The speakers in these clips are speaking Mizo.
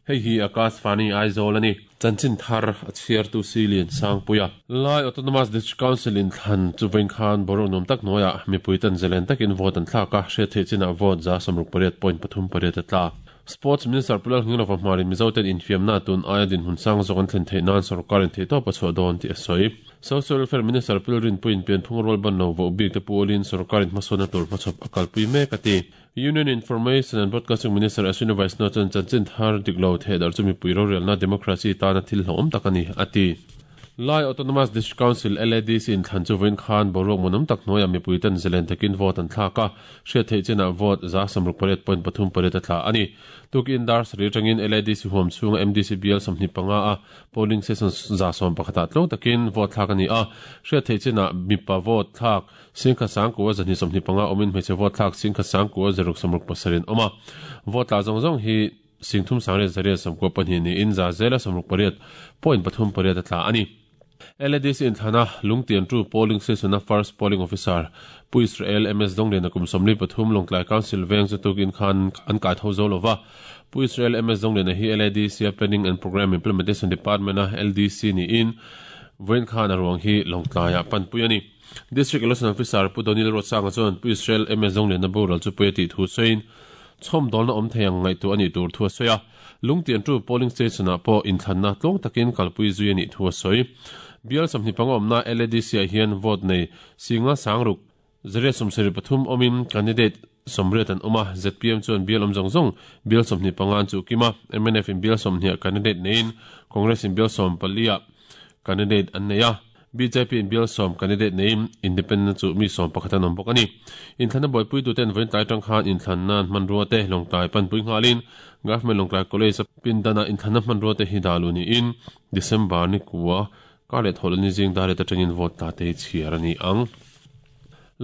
Hei hi Akashvani Aizawl a ni. Chanchin thar a chhiartu Silian Sangpuia. Lai Autonomous District Council inthlan chu vawiin khan boruak nuam tak hnuaiah mipui ten zalen takin vote an thlak a, hriat theih chinah vote 68.38 a tla. Sports Minister Pu Lalngilova hmarin Mizoten infiamna tun aia dinhmun sang zawk an thlen theih nan sorkarin theihtawp a chhuah dawn tih a sawi. Social Welfare Minister Pu Lalrinpuiin pianphung rual ban lo voh bik te pualin sorkarin hmasawnna tur hmachhawp a kalpui mek a ti. Union Information and Broadcasting Minister Ashwini Vaishnaw chuan chanchin thar dik lo thehdarh chu mipui rorelna democracy tana thil hlauhawm tak a ni, a ti. Lai Autonomous District Council, LADC, inthlan chu vawiin khan boruak muanawm tak hnuaiah mipui ten zalen takin vote an thlak a, hriat theih chinah vote 68.38 a tla a ni. Tukin dar sarih atangin LADC huam chhunga MDC bial 25 a polling station 11 ah tlawng takin vote thlak a ni a, hriat theih chinah mipa vote thlak Singkhat sangkua 225 awmin hmeichhe vote thlak singkhat sangkua zaruk sawmruk pasarih an awm a. Vote tla zawng zawng hi singthum sangriat zariat sawmkua pahnih niin za zela sawmruk pariat point pathum pariat a tla a ni. LADC inthlana Lungtiantu Polling Station-a First Polling Officer Pu Israel MS Dongliana kum 43 Lawngtlai Council veng chu tukin khan an kai tho zo lova. Pu Israel MS Dongliana hi LADC-a Planning and Programme Implementation Department-a LDC niin vawiin khan a ruang hi Lawngtlaiah panpui a ni. District Election Officer Pu Donil Ruatsanga chuan Pu Israel MS Zongliana boral chu pawi a tih thu sawiin chhawmdawlna awm thei ang ngaihtuah a nih tur thu a sawi a. Lungtiantu Polling Station-ah pawh inthlanna tlawng takin kalpui zui a nih thu a sawi. Bial 25 awmna LADC-ah hian vote nei singa sangruk zariat 73 awmin candidate 80 an awm a, zpm chuan bial awm zawng zawng bial 25 an chuh kim a, mnf in bial 20 ah candidate neiin Congress in bial 14 ah candidate an nei a. Bjp in bial 10 candidate neiin Independent chu mi 11 an awm bawk a ni. Inthlanna buaipuituten vawiin tlai atang khan inthlanna an hmanrua te Lawngtlai panpui nghalin Government Lawngtlai College a pindana inthlanna hmanrua te hi dah luh niin December ni kua kar leh thawhleh ni zing dar et atangin vote tla te hi chhiar a ni ang.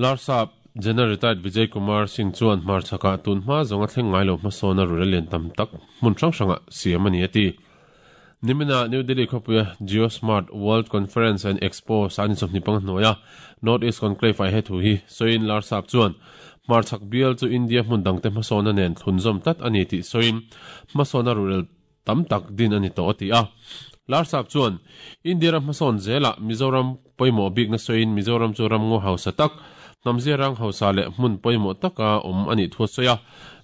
Larsap General Retired Vijay Kumar Singh chuan hmarchhakah tun hma zawnga thleng ngai lo hmasawna rura lian tam tak hmun hrang hrangah siam a ni a ti. Nimina New Delhi khawpuia Jio Smart World Conference and Expo sani 25 hnuaia North East Conclave ah he thu hi sawiin Larsap chuan hmarchhak bial chu India hmun dangte hmasawna nen thlunzawm tlat a ni tih sawiin hmasawna ruhrel tam tak din a ni tawh a ti a. Larsap chuan India ram hmasawn zelah Mizoram pawimawh bikna sawiin Mizoram chu ram ngaw hausa tak, hnamzia rang hausa leh hmun pawimawh taka awm a nih thu a sawi a.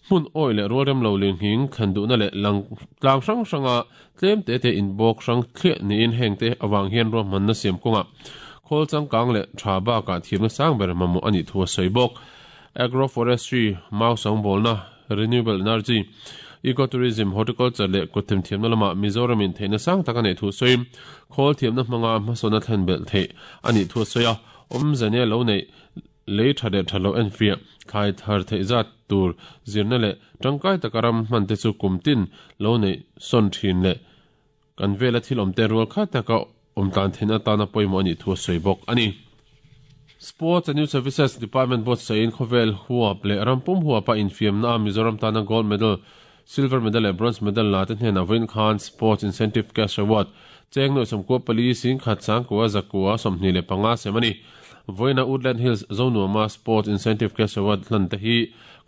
Hmun awih leh rualrem lo linghing thlen duhna leh lang tlang hrang hranga tlem te te inbawk hrang thliah niin hengte avang hian ruahmanna siam kawngah khawl changkang leh tha bakah thiamna sang ber mamawh a nih thu a sawi bawk. Agroforestry, mau sangbawlna, renewable energy, ecotourism, horticulture leh kutthim thiamna lamah Mizoramin theihna sang tak a neih thu sawiin khawl thiamna hmanga hmasawnna thlen belh theih a nih thu a sawi a, awmze nia lo neih lei tha leh tha lo enfiah, thlai thar theih zat tur zirna leh tangkai taka ram hman te chu kum tin lo neih sawn thin leh kan vela thil awmte rual khat taka awm tlan theihna atana pawimawh a nih thu a sawi bawk a ni. Sports and Youth Services Department buatsaih-in khawvel huap leh ram pum huapa infiamna a Mizoram tana gold medal, silver medal leh bronze medal la te hnenah vawiin khan Sports Incentive Cash Award cheng nuaih sawmkua pali singkhat sangkua zakua 25 sem a ni. Vawiina Woodland Hills Zonuama Sports Incentive Cash Award hlan te hi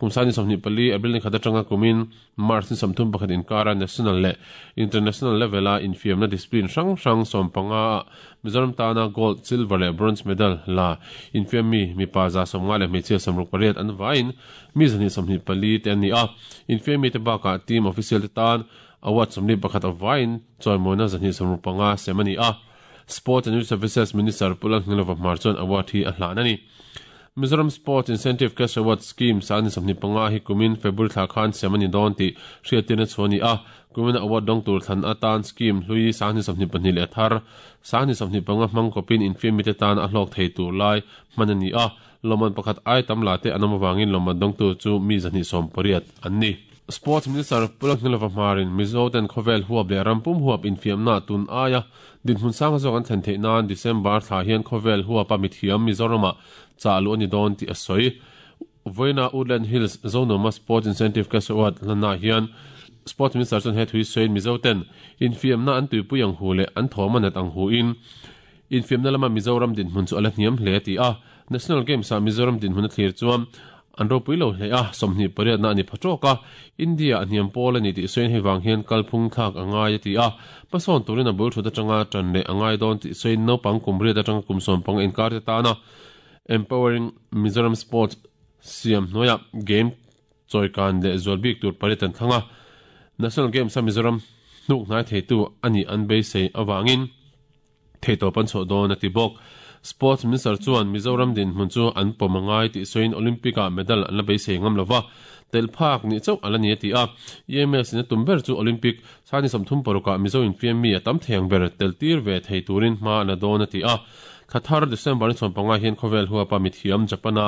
kum sani 24 April ni khat atanga kumin March ni 31 inkara National leh International level-a infiamna discipline hrang hrang 15 ah Mizoram tana Gold, Silver leh Bronze medal la infiam mi mipa 150 leh hmeichhia 68 an vaiin mi 224 te an ni a. Infiam mite bakah team official te tan award 41 a vaiin chawimawina 265 sem a ni a. Sports and Youth Services Minister Pu Lalngilova Hmar chuan award hi a hlan a ni. Mizoram Sports Incentive Cash Award Scheme sani 25 hi kumin February thla khan sem a ni dawn tih hriattirna chu a ni a. Kumin award dawng tur thlan atan scheme hlui sani 22 leh thar sani 25 hmang kawpin infiam mite tan a hlawk thei tur lai hman a ni a. Lawmman pakhat ai tam la te an awm avangin lawmman dawngtu chu mi 280 an ni. Sports Minister Pu Lalngilova Hmarin Mizo ten khawvel huap leh ram pum huap infiamna tun aia dinhmun sang zawk an thlen theih nan December thla hian khawvel huapa mithiam Mizoramah chah luh a ni dawn tih a sawi. Vawiina Woodland Hills Zonoma Sports Incentive Cash Award hlannaah hian Sports Minister chuan he thui sawiin Mizo ten infiamna an tuipui ang hu leh an thawm a nat ang huin infiamna lama Mizoram dinhmun chu a la hniam hle a ti a. National Games-ah Mizoram dinhmun a thlir chuan. An ropui lo hle a, 28 na a ni pha tawk a, India a hniam pawl a ni tih sawiin hei vang hian kalphung thlak a ngai a ti a, hmasawn turin a bul thut atanga tan leh a ngai dawn tih sawiin naupang kum riat atanga kum sawmpanga inkar te tana Empowering Mizoram Sports siam hnuaiah game chawikan leh zual bik tur pariat an thlang a, National Games a Mizoram hnuk hnai theitu a nih an beisei avangin theihtawp an chhuah dawn a ti bawk. Sports Minister chuan Mizoram dinhmun chu an pawm a ngai tih sawiin Olympic-ah medal an la beisei ngam lova, tel phak nih chauh a la ni a ti a. EMS in a tum ber chu Olympic sani 36 ah Mizo infiam mi a tam thei ang ber tel tir ve thei turin hma a la dawn a ti a. Thla thar December ni 15 hian khawvel huapa mithiam Japan-a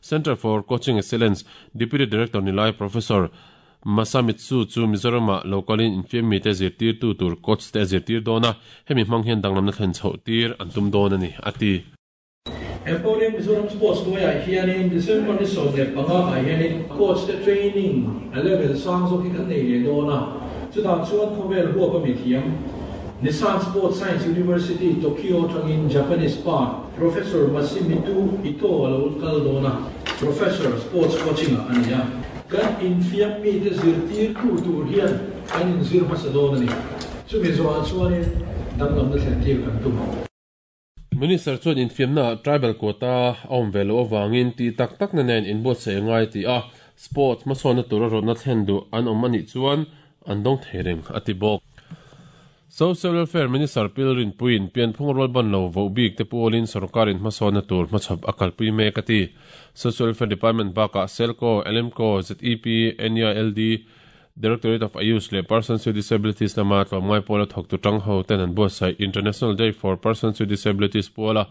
Centre for Coaching Excellence Deputy Director ni lai Professor Masamitsu chu Mizoramah lo kalin infiam mite zirtirtu tur coach te a zirtir dawn a, hemi hmang hian danglamna thlen chhoh tir an tum dawn a ni, a ti. Empowering Mizoram Sports hnuaiah hianin December ni 15 ah hianin coach te training a level sang zawk hi kan nei leh dawn a, chutah chuan khawvel huap a mithiam Nissan Sports Science University Tokyo atangin Japanese pa Professor Masimitu Ito a lo kal dawn a, Professor Sports Coaching ah a ni a. Kan infiam mite zirtirtu tur hian kan inzir hmasa dawn a ni. Chumi zawhah chuanin danglamna thlen tir kan tum ang. Minister chuan infiamnaah tribal quota a awm ve loh avangin tih tak takna nen inbuatsaih a ngai tih a, sports hmasawnna tura rawtna thlen duh an awm a nih chuan an dawng thei reng a ti bawk. Social Welfare Minister Pil Rinpuiin pianphung rual ban lo voh bik te pualin sorkarin hmasawnna tur hmachhawp a kalpui mek a ti. Social Welfare Department bakah SELCO, LMCO, ZEP, NEILD, Directorate of Ayush leh Persons with Disabilities lama tlawmngai pawla thawktu tang ho ten an buatsaih International Day for Persons with Disabilities puala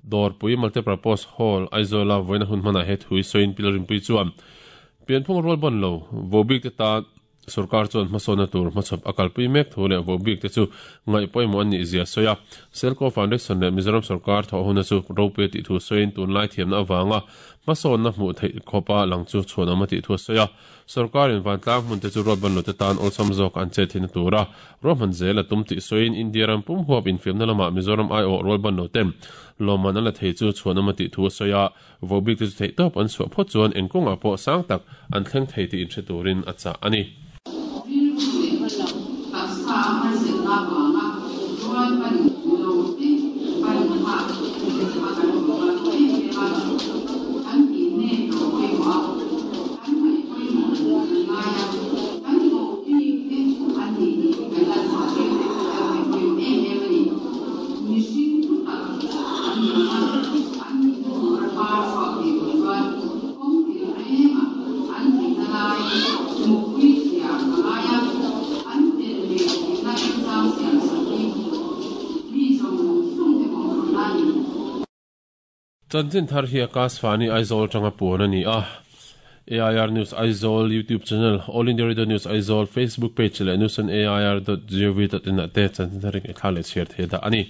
Dawrpui Multipurpose Hall, Aizawla vawiina hun hmanah he thu i sawiin Pil Rinpui chuan pianphung rual ban lo voh bik te tan Sorkar chuan hmasawnna tur hmachhawp a kalpui mek thu leh voh bik te chu ngaih pawimawh an nih zia a sawi a. Selco Foundation leh Mizoram sorkar thawh huna chu ropui a tih thu sawiin tunlai thiamna avanga hmasawnna hmuh theih khawpa lang chu chhuanawm a tih thu a sawi a. Sorkarin vantlang hmun te chu ruatban lote tan awlsam zawk an chet theihna tura ruahman zel a tum tih sawiin India ram pum huap infiamna lamah Mizoram aiawh rualban loten lawmman an la thei chu chhuanawm a tih thu a sawi a. Vohbik te chu theihtawp an chhuah phawt chuan eng kawngah pawh sang tak an thleng thei tih inhre turin a chah a ni. Rilru leh hmalam taksa a harsatna avanga rual pan lo te pan kha a kan awm rual tawh em em a, kan tih nek lo pawimawh a, kan ngaih pawimawh kan ngai a, kan koh bik te an nih hi kan lan chhuah tir te kan ngaih pawimawh em em a ni. Mihring thu tak an ni ang a. An tur a par chhuak thei tur chuan kawng tin rengah an theihna lai hmuhpui thiam a ngai a, an tel ve theihna remchang siam sak hi mi zawng zawng te mawhphurhna a ni. Chanchin thar hi Akashvani Aizawl atanga puan a ni a. AIR News Aizawl YouTube channel, All India Radio News Aizawl Facebook page leh newsonair.gov.in ah te chanchin thar hi ngaihthlak leh chhiar thei dah a ni.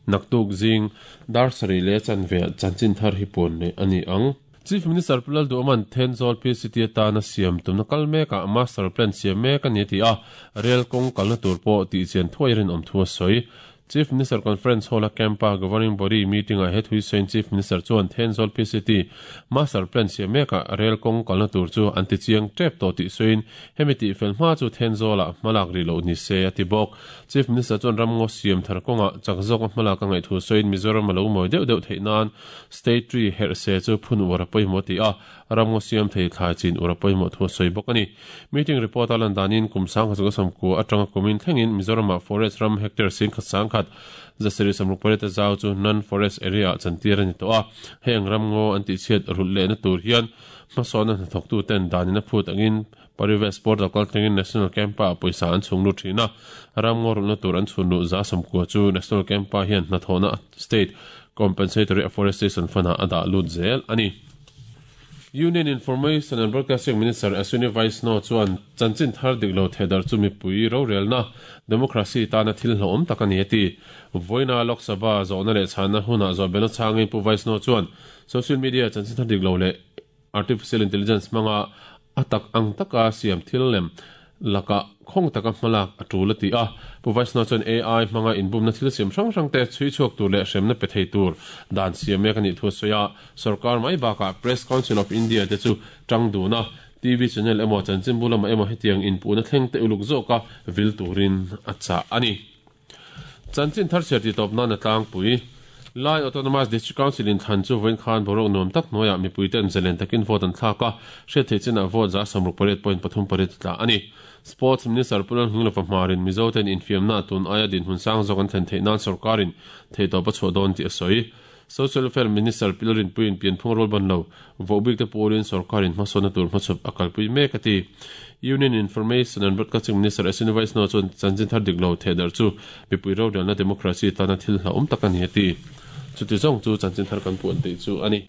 Naktuk zing dar sarih leh chanve ah chanchin thar hi puan leh a ni ang. Chief Minister Pu Lalduhawma'n Thenzawl PCT atana siam tumna kal mekah Master Plan siam mek a ni a ti a, rel kawng kalna tur pawh tihchian thuai rinawm thu a sawi. Chief Minister Conference Hall-a Camp-a Governing Body meeting-ah he thui sawiin Chief Minister chuan Thenzawl PCT Master Plan siam mekah rel kawng kalna tur chu an ti chiang tep tawh tih sawiin hemi tihfel hma chu Thenzawlah hmalak rih loh ni se a ti bawk. Chief Minister chuan ramngaw siam thar kawngah chak zawka hmalak a ngaih thu sawiin Mizoram a lo mawi deuh deuh theih nan State Tree herh se chu phun uar a pawimawh ti a, ramngaw siam thei thlai chin uar a pawimawh thu a sawi bawk a ni. Meeting report a lan danin kum 1990 atanga kumin thlengin Mizoramah forest ram hectare 10,100 768 a zau chu non-forest area ah chantir a ni tawh a, heng ramngaw an tihchhiat rulh lehna tur hian hmasawnna hnathawktuten danin a phut angin Parivesh Portal kaltlengin National Camp-ah pawisa an chhung lut thin a, ramngaw rulhna tur an chhun luh 90% chu National Camp-ah hian hnathawhna State Compensatory Afforestation Fund-ah a dah lut zel a ni. Union Information and Broadcasting Minister Ashwini Vaishnaw chuan chanchin thar dik lo thehdarh chu mipui rorelna, democracy, tana thil hlauhawm tak a ni a ti. Vawiina Lok Sabha zawhna leh chhanna hunah zawhbelna chhangin Pu Vaishnaw chuan social media chanchin thar dik lo leh artificial intelligence hmanga a tak ang taka siam thil lem Lakah khawng taka hmalak a tul a ti a. Pu Vaishnaw chuan AI hmanga inbumna thil siam hrang hrang te chhui chhuak tur leh hremna pe thei tur dan siam mek a nih thu a sawi a. Sorkar mai bakah Press Council of India te chu tang dun a, TV channel emaw chanchinbu lamah emaw hetiang inpuhna thleng te uluk zawka vil turin a chah a ni. Chanchin thar chhiar titawp nan a tlangpui. Lai Autonomous District Council inthlan chu vawiin khan boruak nuam tak hnuaiah mipuite'n zalen takin vote an thlak a, hriat theih chinah vote 68.38 a tla a ni. Sports Minister Pu Lalnghinglova hmarin Mizote'n infiamna tun aia dinhmun sang zawk an thlen theih nan sorkarin theihtawp a chhuah dawn tih a sawi. Social Welfare Minister Pi Lalrinpuiin pianphung rual ban lo vohbik te pawlin sorkarin hmasawnna tur hmachhawp a kalpui mek a ti. Union Information and Broadcasting Minister Ashwini Vaishnaw chuan chanchin thar dik lo thehdarh chu mipui rorelna democracy tana thil hlauhawm tak a ni a ti. Chuti zawng chu chanchin thar kan puan tih chu a ni.